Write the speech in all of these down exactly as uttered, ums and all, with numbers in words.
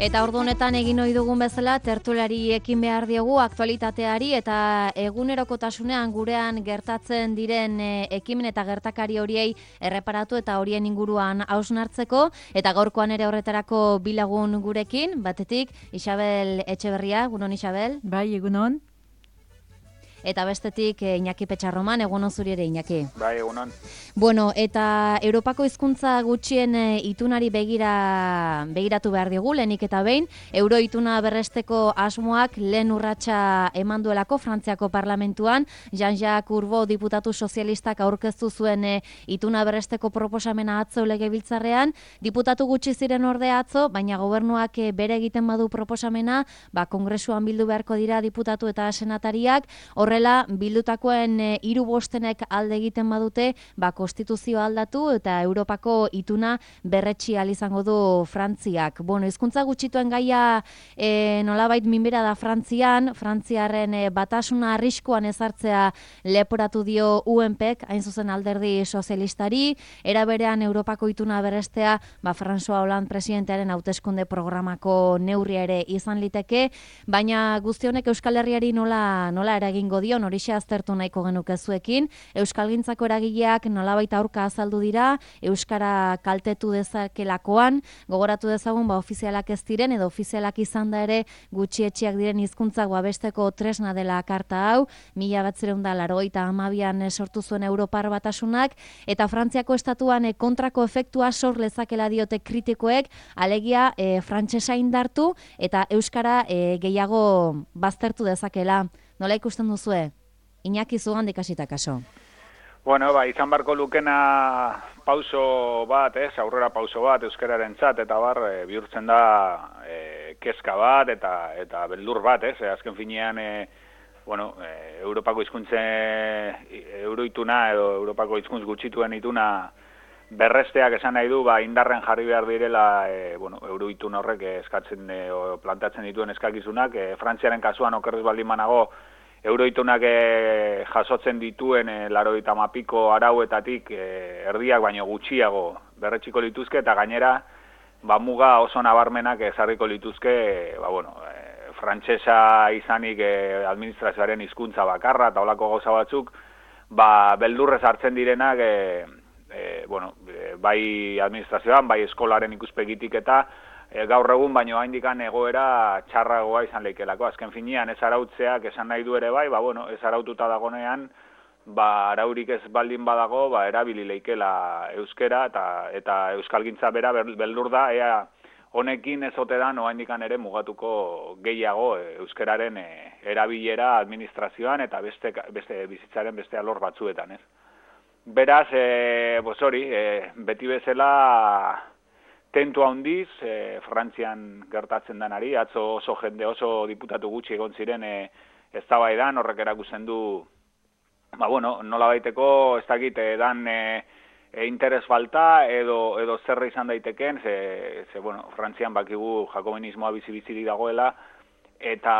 Eta ordu honetan egin ohi dugun bezala tertulari ekin behar diogu aktualitateari eta egunerokotasunean gurean gertatzen diren ekimen eta gertakari horiei erreparatu eta horien inguruan hausnartzeko eta gaurkoan ere horretarako bilagun gurekin, batetik Isabel Etxeberria, egunon Isabel. Bai, egunon. Eta bestetik Iñaki Petxarroman, egunon zuri ere Iñaki. Bai, egunon. Bueno, eta Europako hizkuntza gutxien itunari begira begiratu behar digu, lehenik eta behin, euro ituna berresteko asmoak lehen urratsa eman duelako Frantziako parlamentuan, Jean-Jacques Urbo diputatu sozialistak aurkeztu zuen e, ituna berresteko proposamena atzo legebiltzarrean, diputatu gutxi ziren ordea atzo, baina gobernuak e, bere egiten badu proposamena, ba, kongresuan bildu beharko dira diputatu eta senatariak, horrela, bildutakoen e, hiru bostenek alde egiten badute, ba, konstituzioa aldatu eta Europako ituna berretsi ahal izango du Frantziak. Bueno, hizkuntza gutxituen gaia e, nolabait minbera da Frantzian, Frantziarren e, batasuna arriskuan ezartzea leporatu dio U N Pek, hain zuzen alderdi sozialistari, era berean Europako ituna berrestea, ba, François Hollande presidentearen hauteskunde programako neurria ere izan liteke, baina guzti honek Euskal Herriari nola, nola eragingo dion, horixe aztertu nahiko genuke zuekin. Euskalgintzako eragileak nolabait aurka azaldu dira, euskara kaltetu dezakelakoan, gogoratu dezagun ba ofizialak ez diren edo ofizialak izan da ere gutxietxiak diren hizkuntzak babesteko tresna dela karta hau, mila bederatziehun eta laurogeita hamabian sortu zuen Europar Batasunak, eta Frantziako estatuan e, kontrako efektua sor lezakela diote kritikoek, alegia e, frantsesa indartu eta euskara e, gehiago baztertu dezakela. Nola ikusten duzue? Iñaki zugandik hasita kaso. Bueno, ba, izan barko lukena pauso bat, ez, aurrera pauso bat euskararentzat eta bar e, bihurtzen da e, kezka bat eta eta beldur bat, ez, e, azken finean e, bueno, e, Europako hizkuntze euroituna edo Europako hizkuntz gutxituen ituna berresteak esan nahi du, ba, indarren jarri behar direla e, bueno, euroitun horrek eskatzen e, o plantatzen dituen eskakizunak, e, Frantziaren kasuan okerrez baldin banago euroitunak e, jasotzen dituen e, laurogeita hamapiko arauetatik e, erdiak baino gutxiago berretxiko lituzke eta gainera ba, muga oso nabarmenak ezarriko lituzke e, ba, bueno, e, frantsesa izanik e, administrazioaren hizkuntza bakarra eta holako gauza batzuk ba, beldurrez hartzen direnak e, E, bueno, e, bai administrazioan, bai eskolaren ikuspegitik eta e, gaur egun baino haindikan egoera txarragoa izan leikelako. Azken finean ez arautzeak esan nahi du ere bai, ba bueno, ez araututa dagonean, ba araurik ez baldin badago, ba erabili leikela euskera eta eta euskalgintza bera beldur da ea honekin ez ote da oraindikan ere mugatuko gehiago e, euskeraren e, erabilera administrazioan eta beste beste bizitzaren beste alor batzuetan, ez? Beraz, e, bos hori, e, beti bezala tentu handiz, e, Frantzian gertatzen denari, atzo oso jende oso diputatu gutxi egon ziren e, eztabaidan, horrek erakusten du, ba bueno, nola baiteko, ez dakit, dan e, e, interes falta edo, edo zerra izan daiteken, ze, ze bueno, Frantzian bakigu jakobinismoa bizi-bizirik dagoela, eta,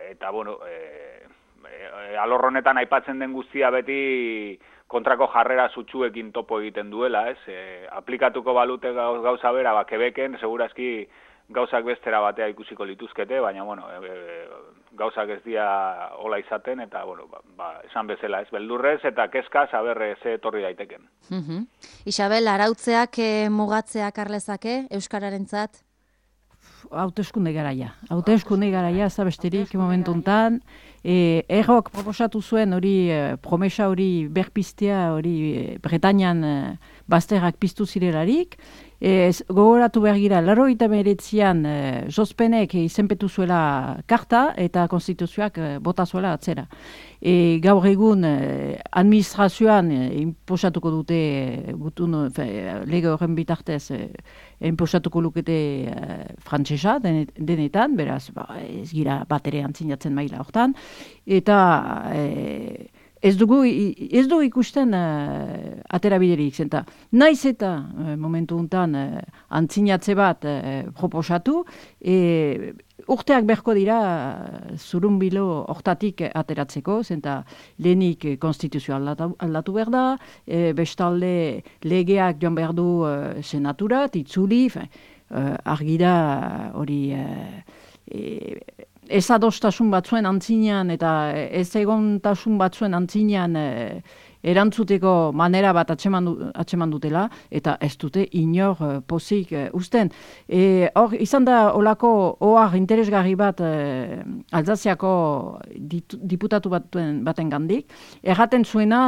eta bueno, e, e, alor honetan aipatzen den guztia beti kontrako jarrera sutsuekin topo egiten duela, ez? E, aplikatuko balute gauza bera, ba, Quebecen, segurazki gauzak bestera batea ikusiko lituzkete, baina, bueno, e, e, gauzak ez dia hola izaten, eta, bueno, ba, ba, esan bezala, ez? Beldurrez eta kezka saber ze etorri daiteken. Uh-huh. Isabel, arautzeak e, mugatzeak arlezake, euskararentzat? Hauteskunde garaia. Hauteskunde garaia, ez da besterik momentu hontan. E, Errok proposatu zuen hori e, promesa hori berpiztea hori e, Bretañan e, bazterrak piztu zirelarik. E, gogoratu behar gira, laurogeita hemeretzian e, Jospenek izenpetu zuela karta eta konstituzioak e, bota zuela atzera. E, gaur egun e, administrazioan e, inposatuko dute e, gutun, fe, lege horren bitartez e, inposatuko lukete e, frantsesa denetan, beraz ba, ez gira bat ere antzinatzen maila hortan, eta e, Ez dugu, ez dugu ikusten uh, atera biderik, zenta. Naiz eta uh, momentu hontan uh, antzinatze bat uh, proposatu, e, urteak berko dira uh, zurunbilo hortatik ateratzeko, zenta lehenik konstituzioa aldatu, aldatu behar da, e, bestalde legeak joan behar du uh, senaturat, itzuli, fe, argi da hori uh, e, ez adostasun batzuen antzinean eta ez egontasun batzuen antzinean uh, erantzuteko manera bat atxeman, atxeman dutela, eta ez dute inor uh, pozik uh, usten. E, hor, izan da olako ohar interesgarri bat uh, Alzaziako ditu, diputatu batuen, baten gandik, erraten zuena,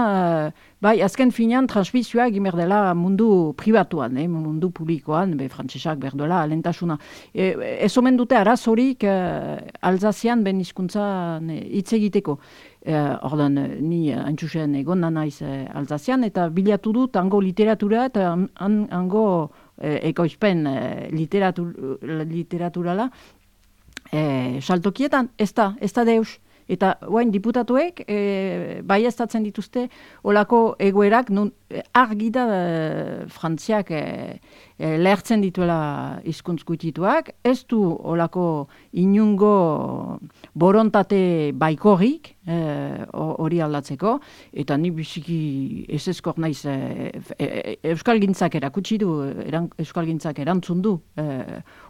uh, bai, azken finean transmisioa egin behar dela mundu pribatuan, eh, mundu publikoan, be, frantsesak behar duela, alentasuna. E, ez omen dute arazorik uh, Alzazian ben hizkuntzan hitz egiteko. Uh, ordan, ni haintxusen egon naiz uh, Alzazian, eta bilatu dut hango literatura eta an, hango uh, ekoizpen uh, literatur, literaturala uh, saltokietan, ez da, ez da deus. Eta guain diputatuek e, baieztatzen dituzte olako egoerak nun argi da e, Frantziak e, e, lehertzen dituela hizkuntz gutituak, ez du olako inungo borontate baikorrik hori e, aldatzeko, eta ni biziki ez ezkor naiz e, e, euskalgintzak erakutsi du, eran, euskalgintzak erantzun du e,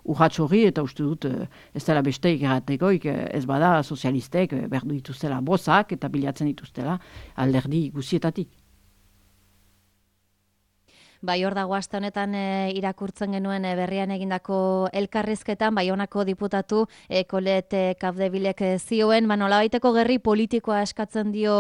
urratx hori, eta uste dut e, ez dela besteik erratekoik, ez bada sozialistek e, behar dituztela bozak eta bilatzen dituztela alderdi guzietatik. Bai, hor dago aste honetan e, irakurtzen genuen e, berrian egindako elkarrizketan, Baionako diputatu e, Kolet e, Kapdebilek e, zioen, ba, nolabaiteko gerri politikoa eskatzen dio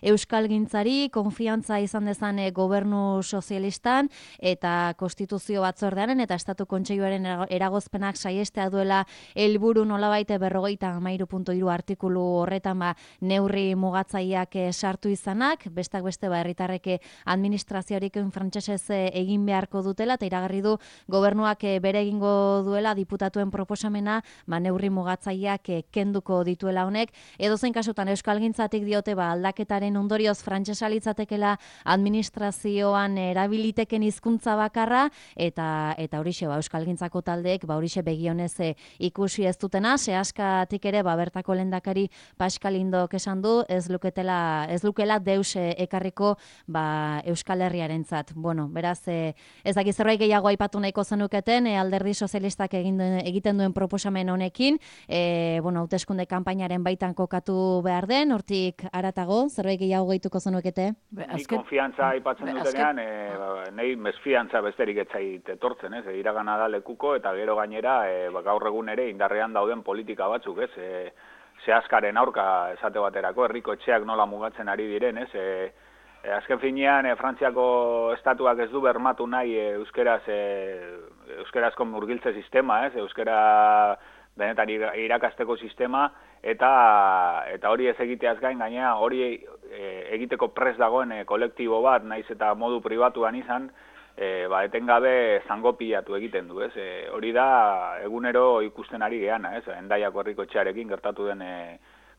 euskalgintzari, konfiantza izan dezan e, gobernu sozialistan eta konstituzio batzordearen eta estatu kontseiluaren eragozpenak saiestea duela helburu nolabait berrogeita hamairu puntu hiru artikulu horretan ba, neurri mugatzaileak e, sartu izanak, bestak beste ba, herritarrek administrazioarik frantsesez e, egin beharko dutela, eta iragarri du gobernuak bere egingo duela diputatuen proposamena ba, neurri mugatzaileak kenduko dituela honek. Edozein kasutan euskalgintzatik diote ba, aldaketaren ondorioz frantsesa litzatekela administrazioan erabiliteken hizkuntza bakarra, eta eta horixe ba, euskalgintzako taldeek ba, horixe begionez e, ikusi ez dutena, sehaskatik ere ba, bertako lehendakari Pascal Indok esan du, ez luketela, ez lukela deus e, ekarriko ba, Euskal Herriarentzat. Bueno, beraz, E, ez dakit zerbait gehiago aipatu nahiko zenuketen, e, alderdi sozialistak egin duen, egiten duen proposamen honekin, e, bueno, hauteskunde kanpainaren baitan kokatu behar den, hortik aratago, zerbait gehiago gehituko zenukete? Ni konfiantza aipatzen dutenean, e, ba, nahi mesfiantza besterik etzait etortzen, ez, e, iragana da lekuko, eta gero gainera, e, ba, gaur egun ere indarrean dauden politika batzuk, ez, e, zehaskaren aurka esate baterako, herriko etxeak nola mugatzen ari diren, ez, e, E, azken finean, e, Frantziako estatuak ez du bermatu nahi e, euskeraz, e, euskerazko murgiltze sistema, ez, euskera benetan irakasteko sistema, eta eta hori ez egiteaz gain, gainera hori e, egiteko prest dagoen e, kolektibo bat, naiz eta modu pribatuan izan, e, ba, etengabe zango pilatu egiten du, ez, e, hori da egunero ikusten ari geana, ez, Hendaiako herriko etxearekin gertatu den e,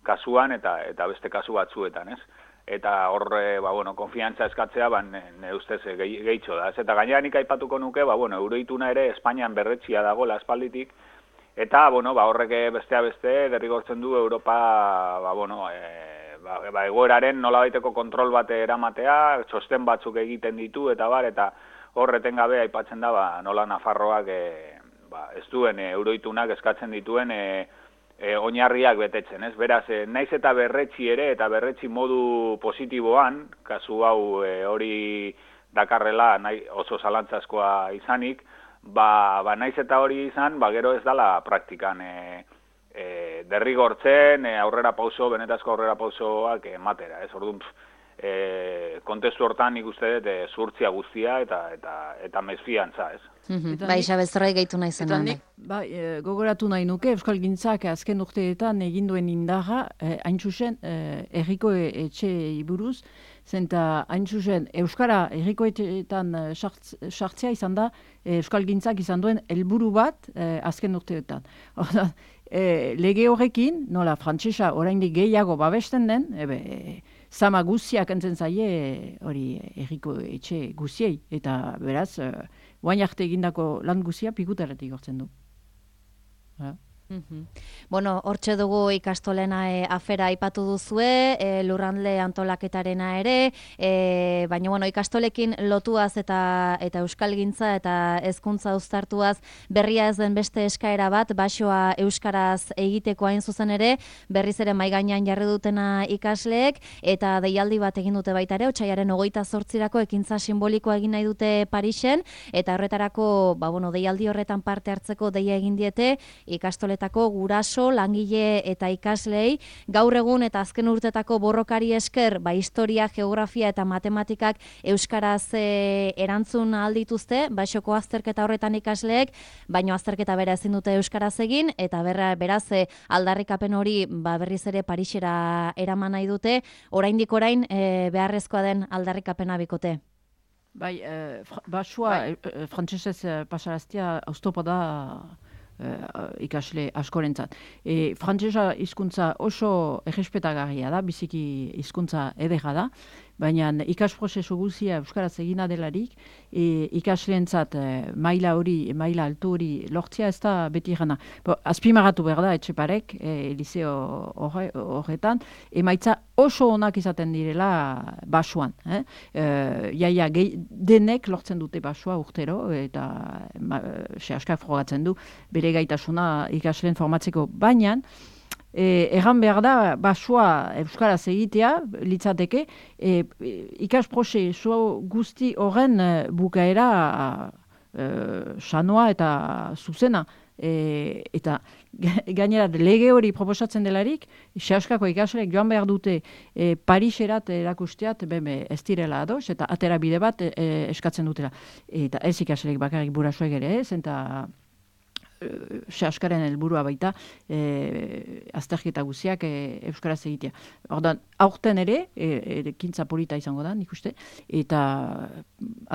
kasuan eta eta beste kasu batzuetan, ez. Eta horre, ba, bueno, konfiantza eskatzea, ba, ne, ne ustez gehi, gehitxo da. Ez? Eta gainera nik aipatuko nuke, ba, bueno, euroituna ere Espainian berretxia dago aspalditik, eta, bueno, ba, horrek bestea beste, derrigortzen du Europa, ba, bueno, e, ba, ba, egoeraren nolabaiteko kontrol bate eramatea, txosten batzuk egiten ditu, eta bar, eta horreten gabe aipatzen da, ba, nola Nafarroak, e, ba, ez duen, e, euroitunak eskatzen dituen, e, E, oinarriak betetzen, ez? Beraz, e, naiz eta berretxi ere, eta berretxi modu positiboan, kasu hau e, hori dakarrela nahi, oso zalantzazkoa izanik, ba, ba naiz eta hori izan, ba gero ez dala praktikan e, e, derrigortzen, e, aurrera pauso, benetazko aurrera pausoak ematera, ez? Orduan, e, kontestu hortan nik uste dut e, zuhurtzia guztia eta eta eta mesfiantza, ez? Mm-hmm. Ba, Isabel, zerbait gehitu nahi zen. Eta nik, ba, e, gogoratu nahi nuke, Euskalgintzak azken urteetan egin duen indarra, e, hain zuzen, e, erriko etxe buruz, zenta hain zuzen, Euskara erriko etxeetan sartzea izan da, e, Euskalgintzak izan duen helburu bat e, azken urteetan. Orda, e, lege horrekin, nola, frantsesa oraindik gehiago babesten den, ebe, e, zama guziak entzen zaie hori erriko etxe guziei, eta beraz, e, guain arte egindako lan guzia pikutaratik gortzen du. Ja. Bueno, hortxe dugu ikastolena e, afera aipatu duzue, e, lurralde antolaketarena ere, e, baina bueno, ikastolekin lotuaz eta eta euskalgintza eta hezkuntza uztartuaz berria ez den beste eskaera bat, basoa euskaraz egiteko hain zuzen ere, berriz ere mahai gainean jarri dutena ikasleek, eta deialdi bat egin dute baita ere, otsailaren hogeita zortzirako ekintza simbolikoa egin nahi dute Parisen, eta horretarako, ba, bueno, deialdi horretan parte hartzeko deia egin diete ikastoletako guraso, langile eta ikaslei, gaur egun eta azken urtetako borrokari esker, ba, historia, geografia eta matematikak euskaraz e, erantzun aldituzte, basoko azterketa horretan ikasleek, baino azterketa bera ezin dute euskaraz egin, eta berra, beraz e, aldarrikapen hori ba, berriz ere Parisera eraman nahi dute, oraindik orain e, beharrezkoa den aldarrikapena bikote. Bai, eh, basua bai. eh, frantsesez eh, pasaraztia oztopo da Uh, ikasle askorentzat. E, frantsesa hizkuntza oso errespetagarria da, biziki hizkuntza edera da, baina ikasprozesu guztia euskaraz egina delarik, e, ikasleentzat e, maila hori, maila altu hori lortzea ez da beti gana. Azpimagatu behar da, Etxeparek, e, liceo horre, horretan, emaitza oso onak izaten direla basuan. Eh? E, jaia, gehi, denek lortzen dute basua urtero, eta ma, se askar frogatzen du, bere gaitasuna ikasleen formatzeko, baina E, erran behar da, basua euskaraz egitea, litzateke, e, ikas prozesu guzti horren e, bukaera e, sanoa eta zuzena. E, eta gainera lege hori proposatzen delarik, sehaskako ikasleek joan behar dute e, Pariserat erakusteat beme ez direla ados, eta atera bide bat e, eskatzen dutela. Eta ez ikasleek bakarrik burasoek ere ez, eta sehaskaren helburua baita e, azterketa guziak e, euskaraz egitea. Ordan, aurten ere, e, ekintza polita izango da, nik uste, eta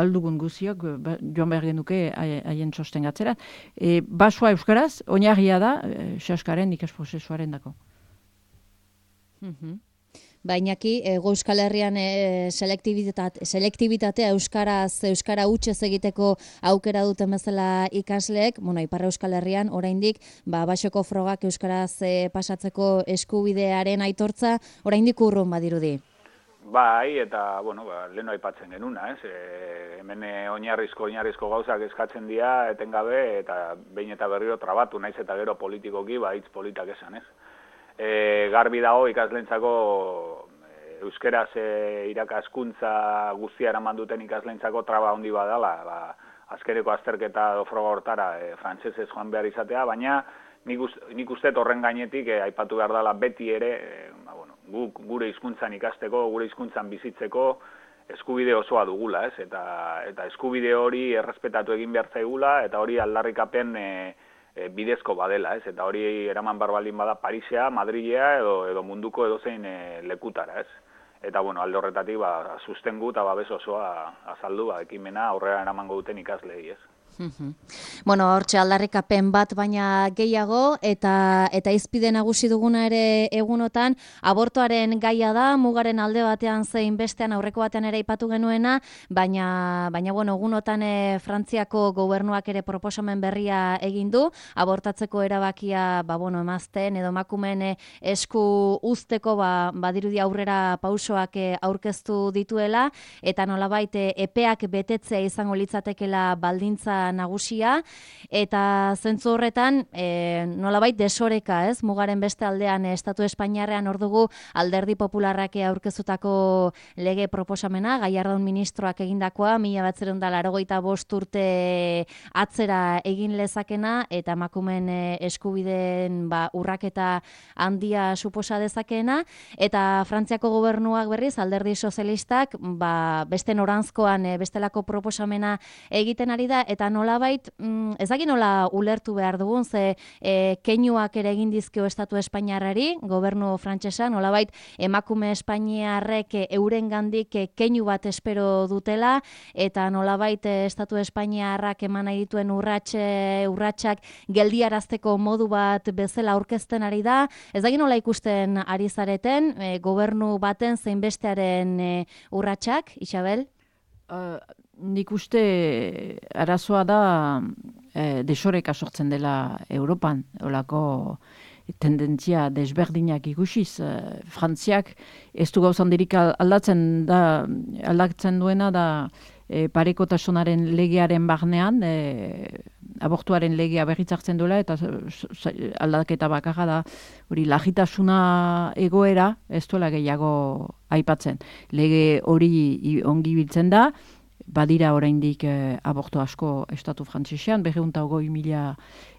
aldugun guziok ba, joan behar genuke haien txosten gatzera. E, basua euskaraz, oinarria da, e, sehaskaren ikasprozesuaren dako. Mhm. Bainaki, Hego Euskal Herrian e, selektibitate, selektibitatea euskaraz, euskara hutsez egiteko aukera duten bezala ikasleek, bueno, Ipar Euskal Herrian oraindik ba basoko frogak euskaraz e, pasatzeko eskubidearen aitortza oraindik urrun badirudi. Bai, eta, bueno, ba, leheno aipatzen genuna, ez? E, hemen oinarrizko, oinarrizko gauzak eskatzen dira, etengabe, eta behin eta berriro trabatu, naiz eta gero politikoki, ba, hitz politak esan, ez? E, garbi dago ikaslentzako e, euskeraz e, irakaskuntza guztia eraman duten ikaslentzako traba handi badala, ba, azkereko azterketa edo froga hortara e, frantsesez joan behar izatea, baina nik, uz, nik uste horren gainetik e, aipatu behar dela beti ere, e, ba, bueno, guk gure hizkuntzan ikasteko, gure hizkuntzan bizitzeko eskubide osoa dugula, ez? Eta, eta eskubide hori errespetatu egin behar zaigula, eta hori aldarrikapen e, bidezko badela, ez? Eta hori eraman barbalin bada Parisea, Madrilea edo, edo munduko edozein e, lekutara, ez? Eta, bueno, alde horretatik, ba, sustengu eta babes osoa azaldu, ba, ekimena aurrera eramango duten ikaslei, ez? Bueno, hortxe aldarrikapen bat baina gehiago, eta eta izpide nagusi duguna ere egunotan, abortoaren gaia da, mugaren alde batean zein bestean aurreko batean ere aipatu genuena, baina, baina bueno, egunotan e, Frantziako gobernuak ere proposamen berria egin du, abortatzeko erabakia, ba, bueno, emazten edo emakumeen esku uzteko, ba, badirudi aurrera pausoak e, aurkeztu dituela, eta nolabait e, epeak betetzea izango litzatekela baldintza nagusia, eta zentzu horretan e, nolabait desoreka, ez? Mugaren beste aldean e, Estatu Espainiarrean hor dugu Alderdi Popularrak aurkezutako lege proposamena, Gallardón ministroak egindakoa, mila bederatziehun eta laurogeita bost urte atzera egin lezakena, eta emakumeen e, eskubideen ba, urraketa handia suposa dezakeena, eta Frantziako gobernuak berriz, Alderdi Sozialistak, ba, beste noranzkoan e, bestelako proposamena egiten ari da, eta nolabait, mm, ezagik nola ulertu behar dugun, ze e, keinuak ere egin dizkio Estatu Espainiarrari, gobernu frantsesa, nolabait emakume Espainiarrek euren gandik keinu bat espero dutela, eta nolabait Estatu Espainiarrak eman nahi dituen urratxe, urratxak geldiarazteko modu bat bezala aurkezten ari da. Ezagik nola ikusten ari zareten, e, gobernu baten zein bestearen e, urratxak, Isabel? Uh, nik uste arazoa da e, desoreka sortzen dela Europan, olako tendentzia desberdinak ikusiz. E, Frantziak ez du gauzandirik aldatzen, da, aldatzen duena da e, parekotasunaren legearen barnean, e, abortuaren legea berritzartzen duela, eta aldaketa bakarra da, hori lagitasuna egoera, ez duela gehiago aipatzen. Lege hori ongi biltzen da, badira oraindik eh, abortu asko estatu frantsesean, berrehun eta hogei mila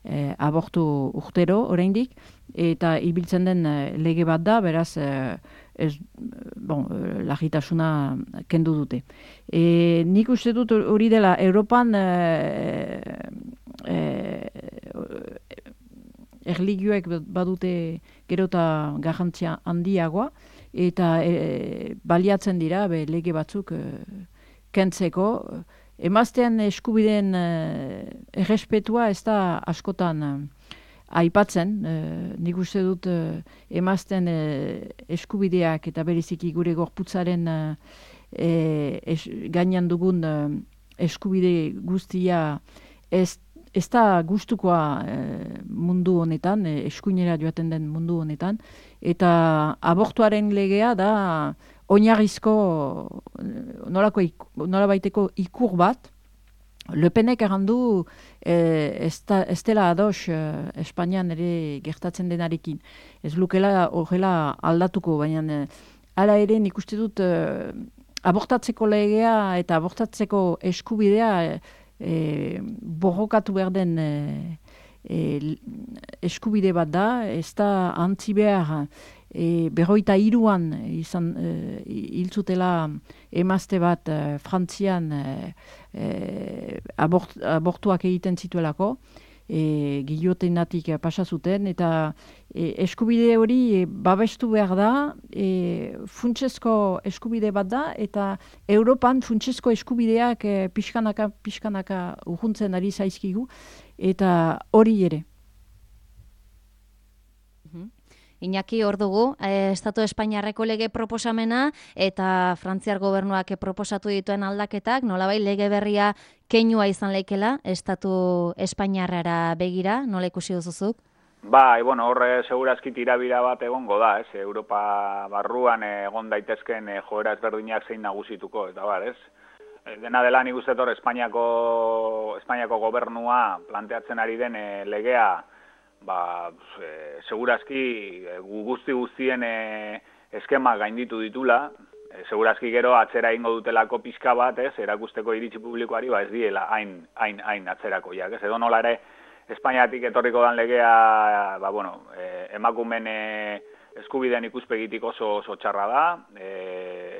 eh, abortu urtero oraindik, eta ibiltzen den eh, lege bat da, beraz, eh, ez, bon, lagitasuna kendu dute. E, nik uste dut hori dela, Europan eh, eh, erligioek badute gero eta garrantzia handiagoa, eta eh, baliatzen dira be, lege batzuk eh, kentzeko. Emaztean eskubideen eh, errespetua ez da askotan eh, aipatzen. Eh, nik uste dut eh, emazten eh, eskubideak eta bereziki gure gorputzaren eh, es, gainan dugun eh, eskubide guztia ez, ez da gustukoa eh, mundu honetan, eh, eskuinera joaten den mundu honetan, eta abortuaren legea da oinarrizko nolako nolabaiteko ikur bat. Le Penek errandu eh, ez dela ados eh, Espainian ere gertatzen denarekin. Ez lukela horrela aldatuko, baina eh, hala ere nik uste dut eh, abortatzeko legea eta abortatzeko eskubidea eh, borrokatu behar den eh, eh, eskubide bat da, ez da antzi behar E, berroita iruan izan e, hiltzutela emazte bat e, Frantzian e, e, abort, abortuak egiten zituelako, e, giliotenatik pasa zuten, eta e, eskubide hori e, babestu behar da, e, funtsezko eskubide bat da, eta Europan funtsezko eskubideak e, pixkanaka, pixkanaka urruntzen ari zaizkigu, eta hori ere. Iñaki, hor dugu, eh, Estatu Espainiarreko lege proposamena eta Frantziar gobernuak proposatu dituen aldaketak, nolabait lege berria keinua izan leikela Estatu Espainiarrara begira, nola ikusi duzuzuk? Bai, bueno, horre segurazki tirabira bat egongo da, ez? Europa barruan egon daitezken eh, joera ezberdinak zein nagusituko, eta bar, ez? Dena dela nik uste hor Espainiako, Espainiako gobernua planteatzen ari den eh, legea, ba, e, segurazki e, guzti guztien e, eskema gainditu ditula, e, segurazki gero atzera ingo dutelako pixka bat, ez, erakusteko iritzi publikoari, ba ez diela hain, hain, hain atzerako jak, ez, edo nola ere Espainiatik etorriko dan legea, ba, bueno, e, emakumen e, eskubideen ikuspegitik oso, oso txarra da, e,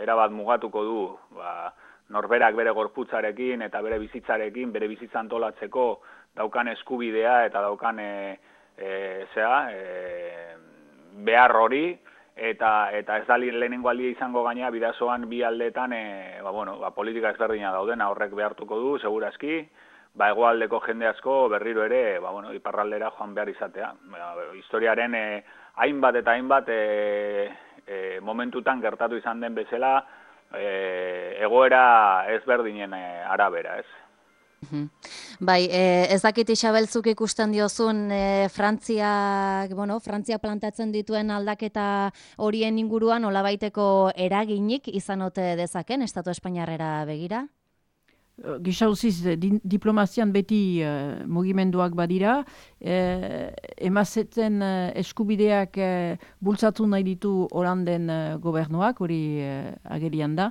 erabat mugatuko du, ba, norberak bere gorputzarekin eta bere bizitzarekin, bere bizitza antolatzeko daukan eskubidea eta daukan e, E, zera, e, behar hori, eta, eta ez da lehenengo aldia izango gaina bidazoan bi aldeetan e, ba, bueno, ba, politika ezberdina daudena horrek behartuko du, segurazki, ba, hegoaldeko jende asko berriro ere ba, bueno, iparraldera joan behar izatea. Ba, historiaren e, hainbat eta hainbat e, e, momentutan gertatu izan den bezala e, egoera ezberdinen e, arabera, ez? Bai, eh, ez dakit Isabelzuk ikusten diozun eh, Frantzia, bueno, Frantzia plantatzen dituen aldaketa horien inguruan nolabaiteko eraginik izan ote dezaken Estatu Espainiarrera begira? Gisa uziz, di, diplomazian beti uh, mugimenduak badira, eh, emazetzen uh, eskubideak uh, bultzatu nahi ditu Holanden uh, gobernuak, hori uh, agerian da,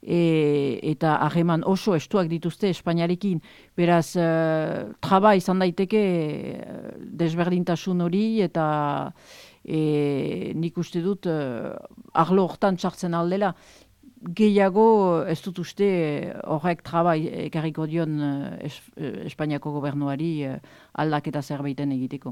e, eta harreman oso estuak dituzte Espainiarekin, beraz, uh, traba izan daiteke uh, desberdintasun hori, eta e, nik uste dut uh, arlo hortan txartzen aldela. Gehiago ez dut uste horrek traba ekarriko dion es, Espainiako gobernuari aldaketa zerbaiten egiteko.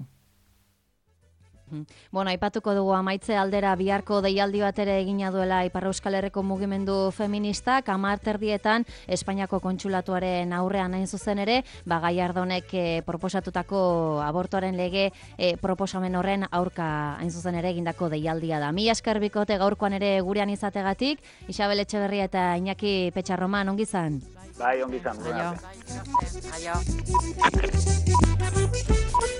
Bueno, aipatuko dugu amaitze aldera biharko deialdi bat ere egina duela Ipar Euskal Herriko mugimendu feministak, hamar terdietan Espainiako kontsulatuaren aurrean hain zuzen ere, ba Gallardonek e, proposatutako abortuaren lege e, proposamen horren aurka hain zuzen ere egindako deialdia da. Mila esker bikote gaurkoan ere gurean izategatik, Isabel Etxeberria eta Iñaki Petxarroman, ongi izan? Bai, ongi izan. Aio. Aio.